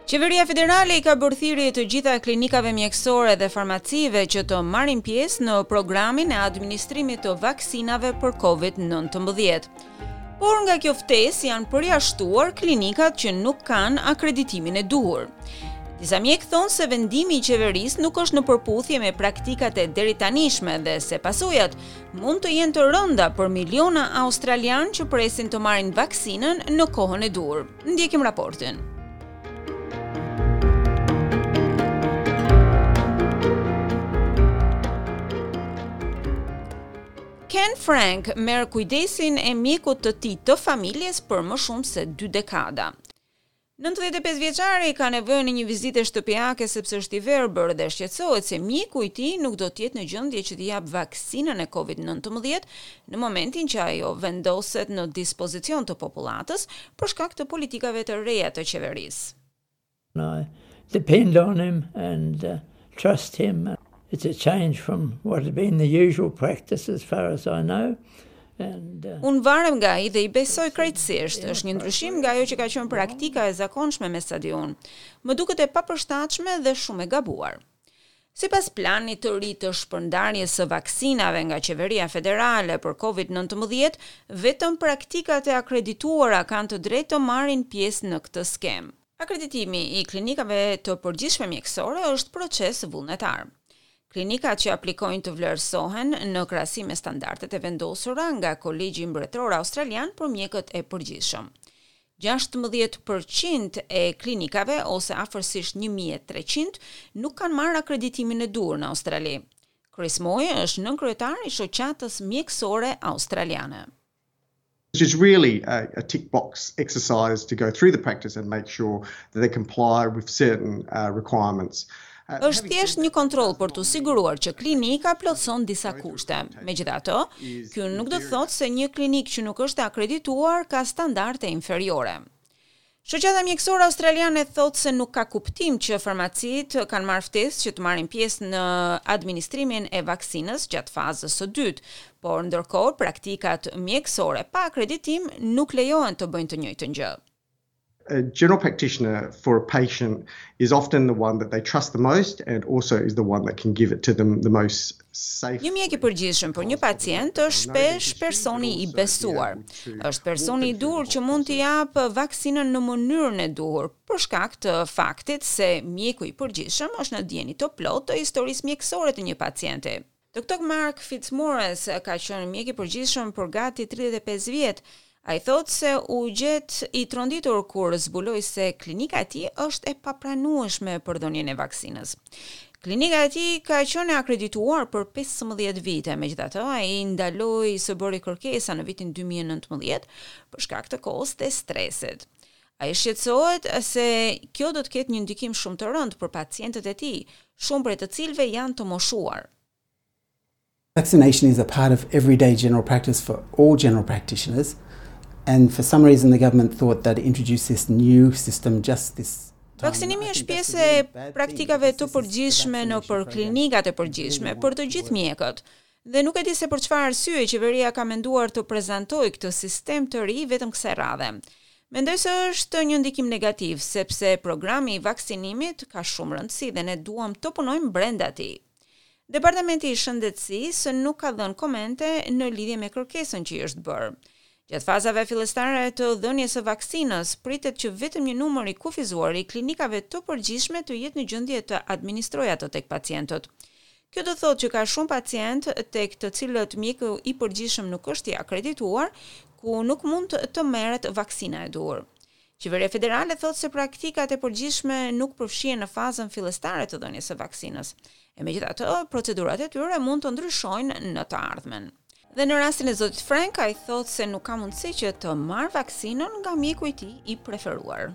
Qeveria federale i ka bërë thirrje të gjitha klinikave mjekësore dhe farmacive që të marrin pjesë në programin e administrimit të vaksinave për COVID-19. Por nga kjo ftesë janë përjashtuar klinikat që nuk kanë akreditimin e duhur. Disa mjekë thonë se vendimi i qeverisë nuk është në përputhje me praktikat e deritanishme dhe se pasojat mund të jenë të rënda për miliona australianë që presin të marrin vaksinën në kohën e duhur. Ndjekim raportin. Ken Frank merr kujdesin e mjekut të tij të familjes për më shumë se dy dekada. 95 vjeçari ka nevojën e një vizite shtëpiake sepse është i verbër dhe shqetësohet se mjeku i tij nuk do të jetë në gjendje që t'i japë vaksinën e Covid-19 në momentin që ajo vendoset në dispozicion të popullatës për shkak të politikave të reja të qeverisë. I depend on him and uh, trust him. It's a change from what had been the usual practice as far as I know. And, uh, Unë varem nga ai dhe i besoj krejtësisht. Është një ndryshim nga ajo që ka qenë praktika e zakonshme me sa di unë. Më duket e papërshtatshme dhe shumë e gabuar. Sipas planit të ri të shpërndarjes së vaksinave nga qeveria federale për Covid-19, vetëm praktikat e akredituara kanë të drejtë të marrin pjesë në këtë skemë. Akreditimi i klinikave të përgjithshme mjekësore është proces vullnetar. Klinikat që aplikojnë të vlerësohen në krahasim me standardet e vendosura nga Kolegji Mbretëror Australian për mjekët e përgjithshëm. 16 për qind e klinikave ose afërsisht 1300 nuk kanë marrë akreditimin e duhur në Australi. Chris Moy është nënkryetar i shoqatës mjekësore australiane. Which is really a, a tick box exercise to go through the practice and make sure that they comply with certain uh, requirements. Është thjesht një kontroll për t'u siguruar që klinika plotëson disa kushte. Megjithatë, ky nuk do të thotë se një klinikë që nuk është akredituar ka standarde inferiore. Shoqata Mjekësore Australiane thotë se nuk ka kuptim që farmacitë kanë marrë ftesë që të marrin pjesë në administrimin e vaksinës gjatë fazës së dytë, por ndërkohë praktikat mjekësore pa akreditim nuk lejohen të bëjnë të njëjtën gjë. A general practitioner for a patient is often the one that they trust the most and also is the one that can give it to them the most safely. Një mjek i përgjithshëm për një pacient është shpesh personi i besuar. Është personi i duhur që mund t'i japë vaksinën në mënyrën e duhur, për shkak të faktit se mjeku i përgjithshëm është në dijeni të plotë të historisë mjekësore të një pacienti. Doktor Mark Fitzmaurice ka qenë mjek i përgjithshëm për gati 35 vjet. Ai thotë se u gjet i tronditur kur zbuloi se klinika e tij është e papranueshme për dhënien e vaksinës. Klinika e tij ka qenë e akredituar për 15 vite, megjithatë ai ndaloi së bëri kërkesa në vitin 2019 për shkak të kohës dhe stresit. Ai shqetësohet se kjo do të ketë një ndikim shumë të rëndë për pacientët e tij, shumë prej të cilëve janë të moshuar. Vaccination is a part of everyday general practice for all general practitioners and for some reason the government thought that introduce this new system just this Vaksinimi është pjesë e praktikave të përgjithshme nëpër klinikat e përgjithshme për të gjithë mjekët. Dhe nuk e di se për çfarë arsye qeveria ka menduar të prezantojë këtë sistem të ri vetëm kësaj radhe. Mendoj se është një ndikim negativ, sepse programi i vaksinimit ka shumë rëndësi dhe ne duam të punojmë brenda tij. Departamenti i Shëndetësisë nuk ka dhënë komente në lidhje me kërkesën që i është bërë. Gjatë fazave fillestare të dhënies së vaksinës, pritet që vetëm një numër i kufizuar i klinikave të përgjithshme të jetë në gjendje të administrojë atë tek pacientët. Kjo do thotë që ka shumë pacientë tek të cilët mjeku i përgjithshëm nuk është i akredituar, ku nuk mund të merret vaksina e duhur. Qeveria federale thotë se praktikat e përgjithshme nuk përfshihen në fazën fillestare të dhënies së vaksinës. E megjithatë, procedurat e tyre mund të ndryshojnë në të ardhmen. Dhe në rastin e zotit Frank, ai thotë se nuk ka mundësi që të marrë vaksinën nga mjeku i tij i preferuar.